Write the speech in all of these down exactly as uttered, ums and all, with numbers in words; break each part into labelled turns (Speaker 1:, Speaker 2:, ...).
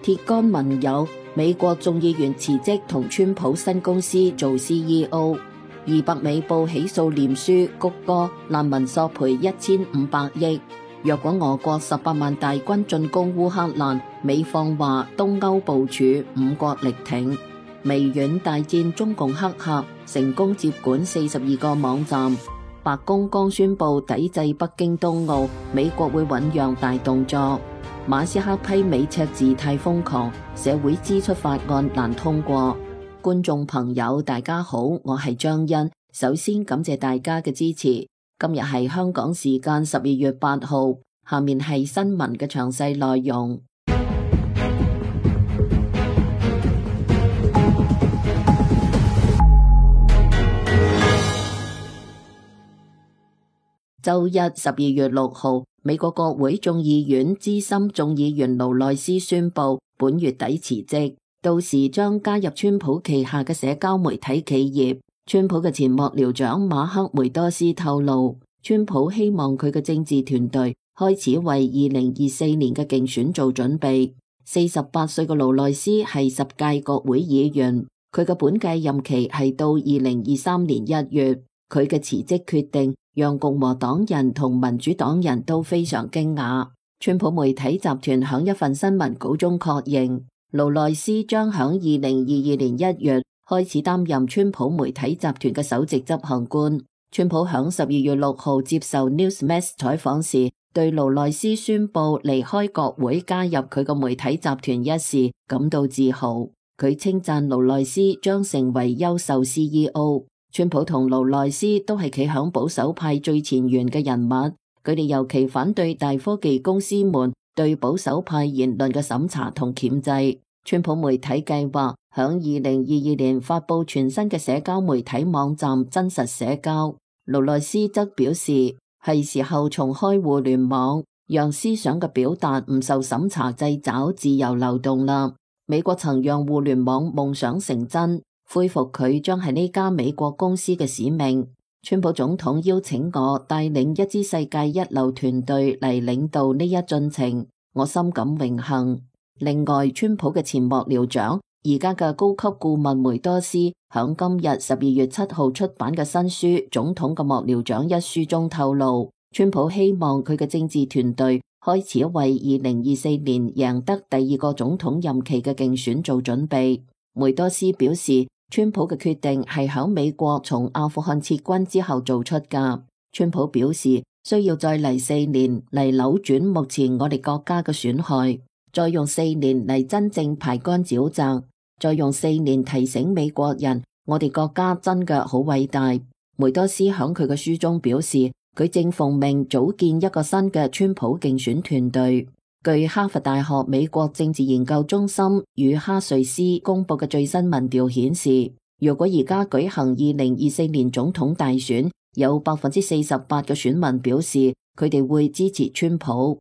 Speaker 1: 鐵桿盟友，美國眾議員辭職同川普新公司做 C E O。二百美報起訴臉書谷歌難民索賠一千五百億。若果俄國十八萬大軍進攻烏克蘭，美方話東歐部署，五國力挺。微軟大戰中共黑客，成功接管四十二個網站。白宮剛宣布抵制北京冬奧，美國會醞釀大動作。馬斯克批美赤字太瘋狂，社會支出法案難通過。觀眾朋友大家好，我係張欣，首先感謝大家嘅支持。今日係香港時間十二月八號，下面係新聞嘅詳細內容。周一十二月六號，美國國會眾議院資深眾議員勞內斯宣布本月底辭職，到時將加入川普旗下嘅社交媒體企業。川普嘅前幕僚長馬克梅多斯透露，川普希望佢嘅政治團隊開始為二零二四年嘅競選做準備。四十八歲嘅勞內斯係十屆國會議員，佢嘅本屆任期係到二零二三年一月。佢嘅辭職決定讓共和黨人同民主黨人都非常驚訝。川普媒體集團響一份新聞稿中確認，勞內斯將響二零二二年一月開始擔任川普媒體集團嘅首席執行官。川普響十二月六號接受 Newsmax 採訪時，對勞內斯宣布離開國會加入佢個媒體集團一事感到自豪。佢稱讚勞內斯將成為優秀 C E O。川普同勞內斯都係企響保守派最前沿嘅人物，佢哋尤其反對大科技公司們對保守派言論嘅審查同鉗制。川普媒體計劃響二零二二年發佈全新嘅社交媒體網站真實社交。勞內斯則表示，係時候重開互聯網，讓思想嘅表達唔受審查掣肘，自由流動啦。美國曾讓互聯網夢想成真，恢復佢將係呢家美國公司嘅使命。川普總統邀請我帶領一支世界一流團隊嚟領導呢一進程，我深感榮幸。另外，川普嘅前幕僚長，而家嘅高級顧問梅多斯，響今日十二月七號出版嘅新書《總統嘅幕僚長》一書中透露，川普希望佢嘅政治團隊開始為二零二四年贏得第二個總統任期嘅競選做準備。梅多斯表示，川普嘅決定係響美國從阿富汗撤軍之後做出㗎。川普表示，需要再嚟四年嚟扭轉目前我哋國家嘅損害。再用四年嚟真正排乾沼澤，再用四年提醒美國人，我哋國家真嘅好偉大。梅多斯響佢嘅書中表示，佢正奉命組建一個新嘅川普競選團隊。據哈佛大學美國政治研究中心與哈瑞斯公布嘅最新民調顯示，如果而家舉行二零二四年總統大選，有百分之四十八嘅選民表示佢哋會支持川普。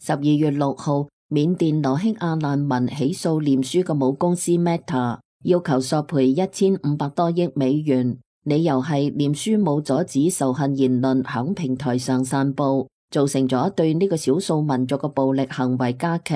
Speaker 1: 十二月六號，緬甸羅興亞難民起訴臉書嘅母公司 Meta， 要求索賠一千五百多億美元，理由係臉書冇阻止仇恨言論響平台上散布，造成咗對呢個少數民族嘅暴力行為加劇。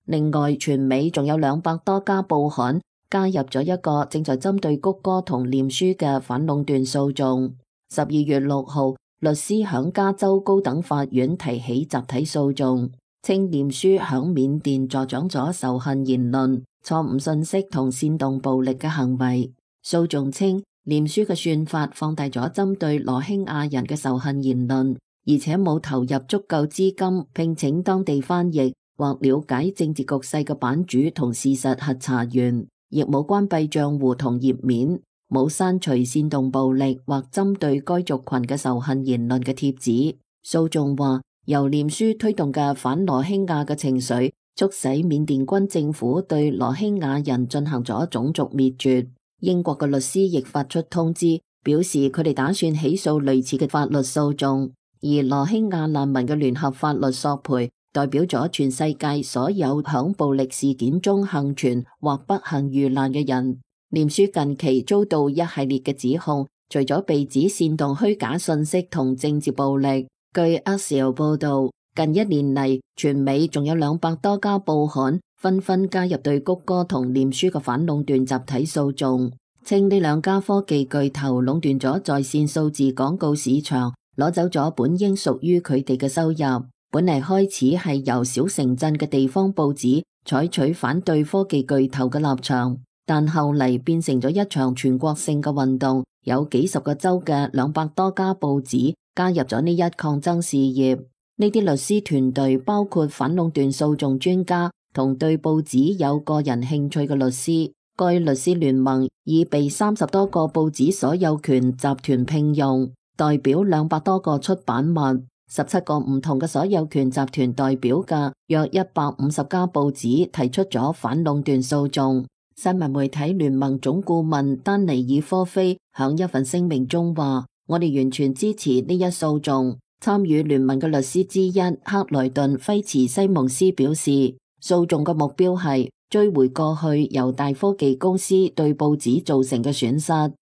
Speaker 1: 另外，全美仲有兩百多家報刊加入咗一個正在針對谷歌同臉書嘅反壟斷訴訟。十二月六號，律師響加州高等法院提起集體訴訟，稱臉書響緬甸助長咗仇恨言論、錯誤信息同煽動暴力嘅行為。訴訟稱，臉書嘅算法放大咗針對羅興亞人嘅仇恨言論，而且冇投入足夠資金聘請當地翻譯或了解政治局勢嘅版主同事實核查員，亦冇關閉賬戶同頁面，冇刪除煽動暴力或針對該族群嘅仇恨言論嘅貼紙。訴訟話，由臉書推動嘅反羅興亞嘅情緒，促使緬甸軍政府對羅興亞人進行咗種族滅絕。英國嘅律師亦發出通知，表示佢哋打算起訴類似嘅法律訴訟。而羅興亞難民嘅聯合法律索賠，代表咗全世界所有響暴力事件中幸存或不幸遇難嘅人。臉書近期遭到一系列嘅指控，除咗被指煽動虛假信息同政治暴力，據 Axios 報道，近一年嚟，全美仲有兩百多家報刊紛紛加入對谷歌同臉書嘅反壟斷集體訴訟，稱呢兩家科技巨頭壟斷咗在線數字廣告市場，攞走咗本應屬於佢哋嘅收入。本嚟開始係由小城鎮嘅地方報紙採取反對科技巨頭嘅立場，但後嚟變成咗一場全國性嘅運動，有幾十個州嘅兩百多家報紙加入咗呢一抗爭事業。呢啲律師團隊包括反壟斷訴訟專家同對報紙有個人興趣嘅律師。該律師聯盟已被三十多個報紙所有權集團聘用，代表兩百多個出版物。十七個唔同嘅所有權集團代表嘅約一百五十家報紙提出咗反壟斷訴訟。新聞媒體聯盟總顧問丹尼爾科菲響一份聲明中話：我哋完全支持呢一訴訟。參與聯盟嘅律師之一克萊頓費茨西蒙斯表示，訴訟嘅目標係追回過去由大科技公司對報紙造成嘅損失。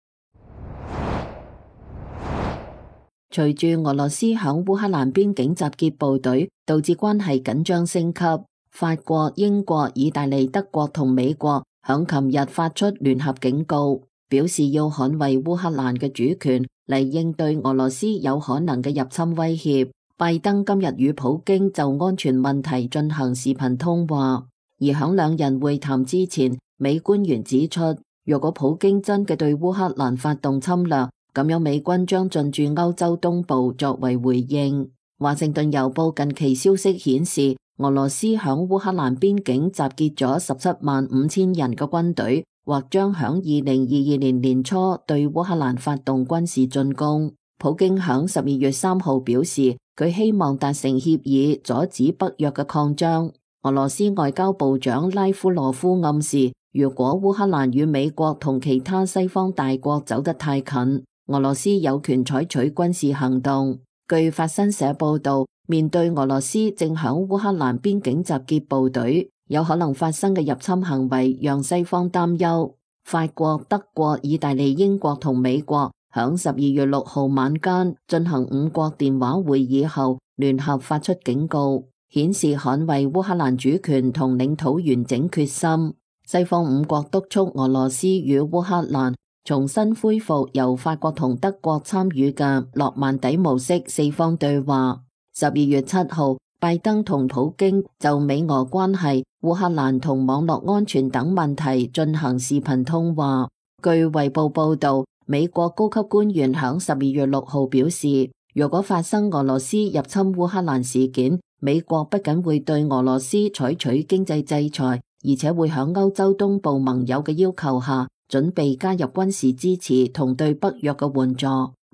Speaker 1: 隨住俄羅斯響烏克蘭邊境集結部隊，導致關係緊張升級。法國、英國、意大利、德國同美國響琴日發出聯合警告，表示要捍衛烏克蘭嘅主權嚟應對俄羅斯有可能嘅入侵威脅。拜登今日與普京就安全問題進行視頻通話，而響兩人會談之前，美官員指出，若果普京真嘅對烏克蘭發動侵略，咁樣美軍將進駐歐洲東部作為回應。華盛頓郵報近期消息顯示，俄羅斯響烏克蘭邊境集結咗十七萬五千人嘅軍隊，或將響二零二二年年初對烏克蘭發動軍事進攻。普京響十二月三號表示，佢希望達成協議，阻止北約嘅擴張。俄羅斯外交部長拉夫羅夫暗示，如果烏克蘭與美國同其他西方大國走得太近，俄羅斯有權採取軍事行動。據法新社報道，面對俄羅斯正響烏克蘭邊境集結部隊，有可能發生嘅入侵行為，讓西方擔憂。法國、德國、意大利、英國同美國響十二月六號晚間進行五國電話會議後，聯合發出警告，顯示捍衛烏克蘭主權同領土完整決心。西方五國督促俄羅斯與烏克蘭重新恢復由法國同德國參與嘅諾曼底模式四方對話。十二月七號，拜登同普京就美俄關係、烏克蘭同網絡安全等問題進行視頻通話。據衛報報道，美國高級官員響十二月六號表示，如果發生俄羅斯入侵烏克蘭事件，美國不僅會對俄羅斯採取經濟制裁，而且會響歐洲東部盟友嘅要求下，準備加入軍事支持同對北約嘅援助，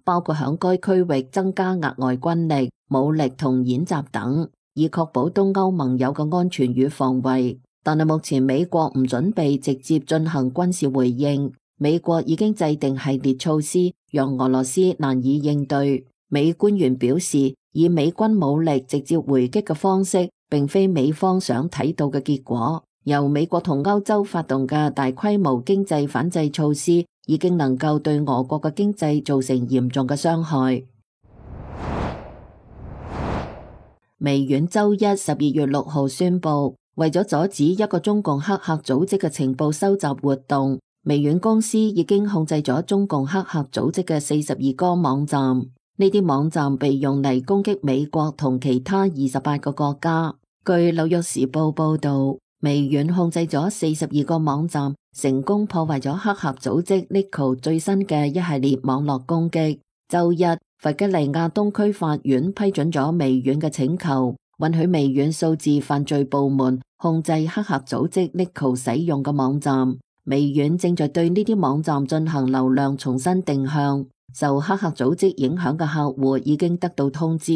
Speaker 1: 包括響該區域增加額外軍力、武力同演習等，以確保東歐盟友嘅安全與防衛。但係目前美國唔準備直接進行軍事回應，美國已經制定系列措施，讓俄羅斯難以應對。美官員表示，以美軍武力直接回擊嘅方式，並非美方想睇到嘅結果。由美國同歐洲發動嘅大規模經濟反制措施，已經能夠對俄國嘅經濟造成嚴重嘅傷害。微軟周一十二月六號宣布，為咗阻止一個中共黑客組織嘅情報收集活動，微軟公司已經控制咗中共黑客組織嘅四十二個網站。呢啲網站被用嚟攻擊美國同其他二十八個國家。據紐約時報報道，微軟控制咗四十二個網站，成功破壞咗黑客組織 Nico 最新嘅一系列網絡攻擊。周一，弗吉尼亞東區法院批准咗微軟嘅請求，允許微軟數字犯罪部門控制黑客組織 Nico 使用嘅網站。微軟正在對呢啲網站進行流量重新定向，受黑客組織影響嘅客戶已經得到通知。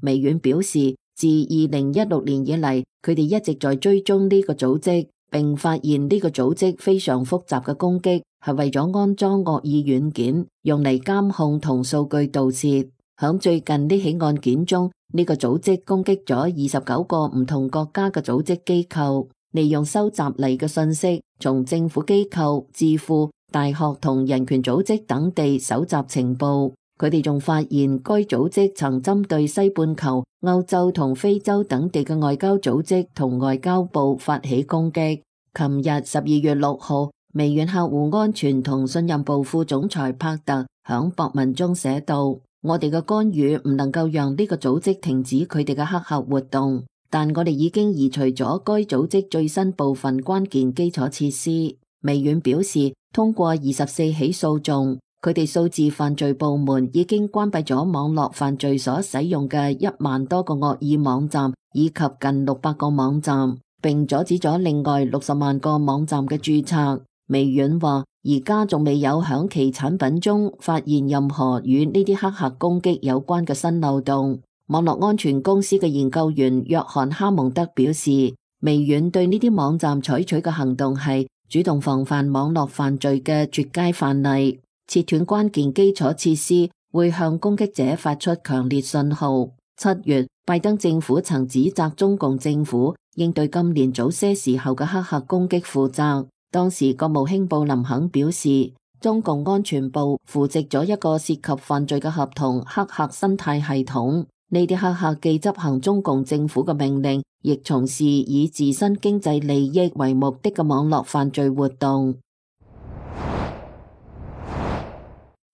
Speaker 1: 微軟表示，自二零一六年以嚟，佢哋一直在追蹤呢個組織，並發現呢個組織非常複雜嘅攻擊係為咗安裝惡意軟件，用嚟監控同數據盜竊。響最近呢起案件中，呢個組織攻擊咗二十九個唔同國家嘅組織機構，利用收集嚟嘅信息，從政府機構、智庫、大學同人權組織等地搜集情報。佢哋仲發現該組織曾針對西半球、歐洲同非洲等地嘅外交組織同外交部發起攻擊。琴日十二月六號，微軟客戶安全同信任部副總裁帕特響博文中寫道：我哋嘅干預唔能夠讓呢個組織停止佢哋嘅黑客活動，但我哋已經移除咗該組織最新部分關鍵基礎設施。微軟表示，通過二十四起訴訟，佢哋數字犯罪部門已經關閉咗網絡犯罪所使用嘅一萬多個惡意網站，以及近六百個網站，並阻止咗另外六十萬個網站嘅註冊。微軟話，而家仲未有響其產品中發現任何與呢啲黑客攻擊有關嘅新漏洞。網絡安全公司嘅研究員約翰哈蒙德表示，微軟對呢啲網站採取嘅行動係主動防範網絡犯罪嘅絕佳範例。切斷關鍵基礎設施會向攻擊者發出強烈信號。七月，拜登政府曾指責中共政府應對今年早些時候嘅黑客攻擊負責。當時國務卿布林肯表示，中共安全部扶植咗一個涉及犯罪嘅合同黑客生態系統。呢啲黑客既執行中共政府嘅命令，亦從事以自身經濟利益為目的嘅網絡犯罪活動。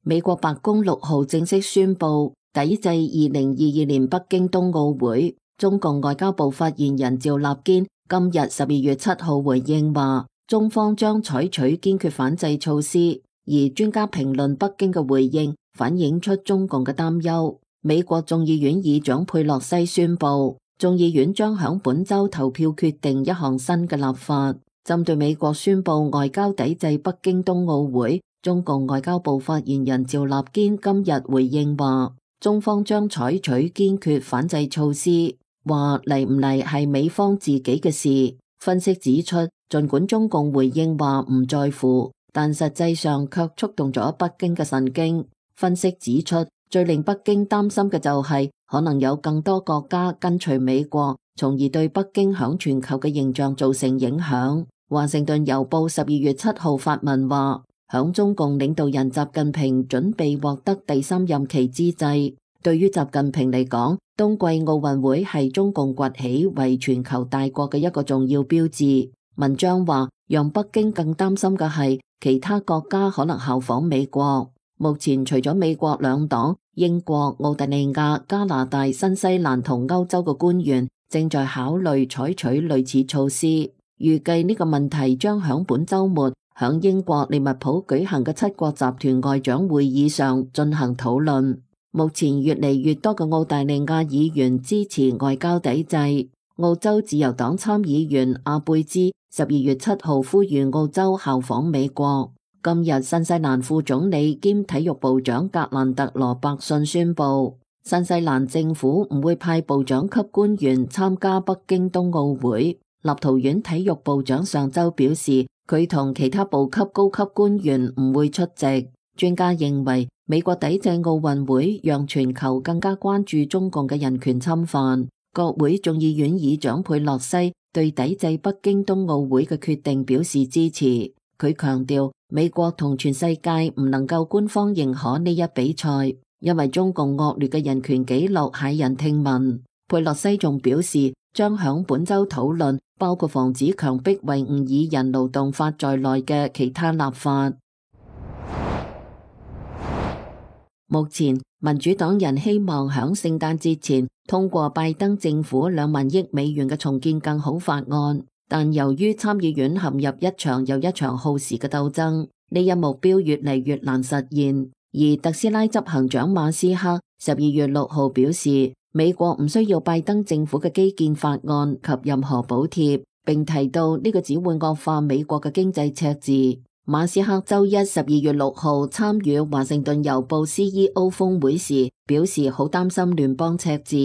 Speaker 1: 美國白宮六號正式宣布抵制二零二二年北京冬奧會。中共外交部發言人趙立堅今日十二月七號回應話，中方將採取堅決反制措施。而專家評論北京嘅回應，反映出中共嘅擔憂。美國眾議院議長佩洛西宣布，眾議院將響本周投票決定一項新嘅立法，針對美國宣布外交抵制北京冬奧會。中共外交部發言人趙立堅今日回應話，中方將採取堅決反制措施，話嚟唔嚟係美方自己嘅事。分析指出，儘管中共回應話唔在乎，但實際上卻觸動咗北京嘅神經。分析指出，最令北京擔心嘅就係可能有更多國家跟隨美國，從而對北京響全球嘅形象造成影響。華盛頓郵報十二月七號發文話，響中共領導人習近平準備獲得第三任期之際，對於習近平嚟講，冬季奧運會係中共崛起為全球大國嘅一個重要標誌。文章話，讓北京更擔心嘅係其他國家可能效仿美國。目前除咗美國兩黨，英國、澳大利亞、加拿大、新西蘭同歐洲嘅官員正在考慮採取類似措施。預計呢個問題將響本週末響英國利物浦舉行嘅七國集團外長會議上進行討論。目前越嚟越多嘅澳大利亞議員支持外交抵制。澳洲自由黨參議員阿貝茲十二月七號呼籲澳洲效仿美國。今日新西蘭副總理兼體育部長格蘭特羅伯遜宣布，新西蘭政府唔會派部長級官員參加北京冬奧會。立陶宛體育部長上周表示，佢同其他部級高級官員唔會出席。專家認為，美國抵制奧運會讓全球更加關注中共嘅人權侵犯。國會眾議院議長佩洛西對抵制北京冬奧會嘅決定表示支持。佢強調，美國同全世界唔能夠官方認可呢一比賽，因為中共惡劣嘅人權紀錄駭人聽聞。佩洛西仲表示，將響本周討論包括防止強迫維吾爾人勞動法在內嘅其他立法。目前民主黨人希望響聖誕節前通過拜登政府兩萬億美元嘅重建更好法案，但由於參議院陷入一場又一場耗時嘅鬥爭，呢一目標越嚟越難實現。而特斯拉執行長馬斯克十二月六號表示，美國唔需要拜登政府嘅基建法案及任何補貼，並提到呢個只會惡化美國嘅經濟赤字。馬斯克周一十二月六號參與華盛頓郵報 C E O 峰會時，表示好擔心聯邦赤字。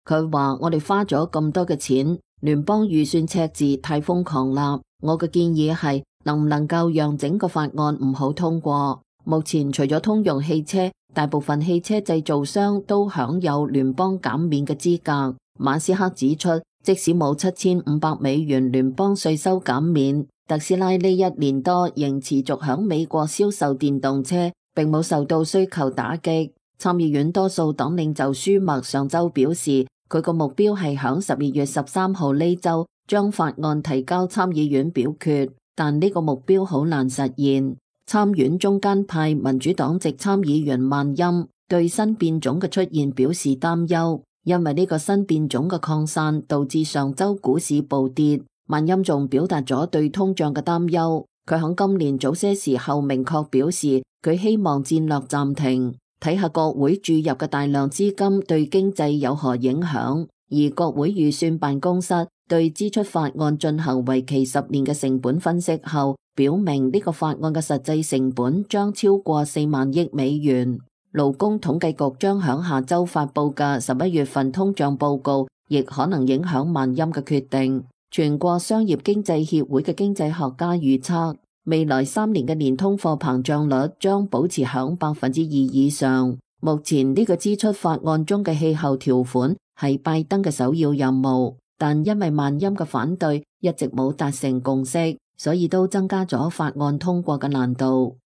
Speaker 1: 佢話：我哋花咗咁多嘅錢，聯邦預算赤字太瘋狂啦。我嘅建議係，能唔能夠讓整個法案唔好通過？目前除咗通用汽車，大部分汽車製造商都享有聯邦減免嘅資格。馬斯克指出，即使冇七千五百美元聯邦稅收減免，特斯拉呢一年多仍持續響美國銷售電動車，並冇受到需求打擊。參議院多數黨領袖舒默上週表示，佢個目標係響十二月十三號呢週將法案提交參議院表決，但呢個目標好難實現。參院中間派民主黨籍參議員萬欽對新變種嘅出現表示擔憂，因為呢個新變種嘅擴散導致上週股市暴跌。萬欽仲表達咗對通脹嘅擔憂，佢喺今年早些時候明確表示，佢希望戰略暫停，睇下國會注入嘅大量資金對經濟有何影響。而國會預算辦公室對支出法案進行為期十年嘅成本分析後，表明呢個法案嘅實際成本將超過四萬億美元。勞工統計局將響下週發佈嘅十一月份通脹報告，亦可能影響萬欽嘅決定。全國商業經濟協會嘅經濟學家預測，未來三年嘅年通貨膨脹率將保持響百分之二以上。目前呢個支出法案中嘅氣候條款係拜登嘅首要任務，但因為萬欽嘅反對，一直冇達成共識，所以都增加咗法案通過嘅難度。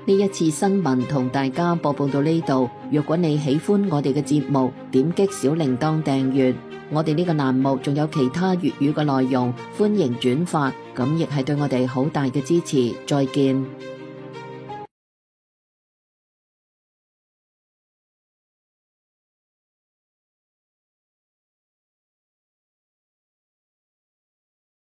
Speaker 1: 呢一次新聞同大家播報到呢度，如果你喜歡我哋嘅節目，點擊小鈴鐺訂閱。我哋呢個欄目仲有其他粵語嘅內容，歡迎轉發，咁亦係對我哋好大嘅支持。再見。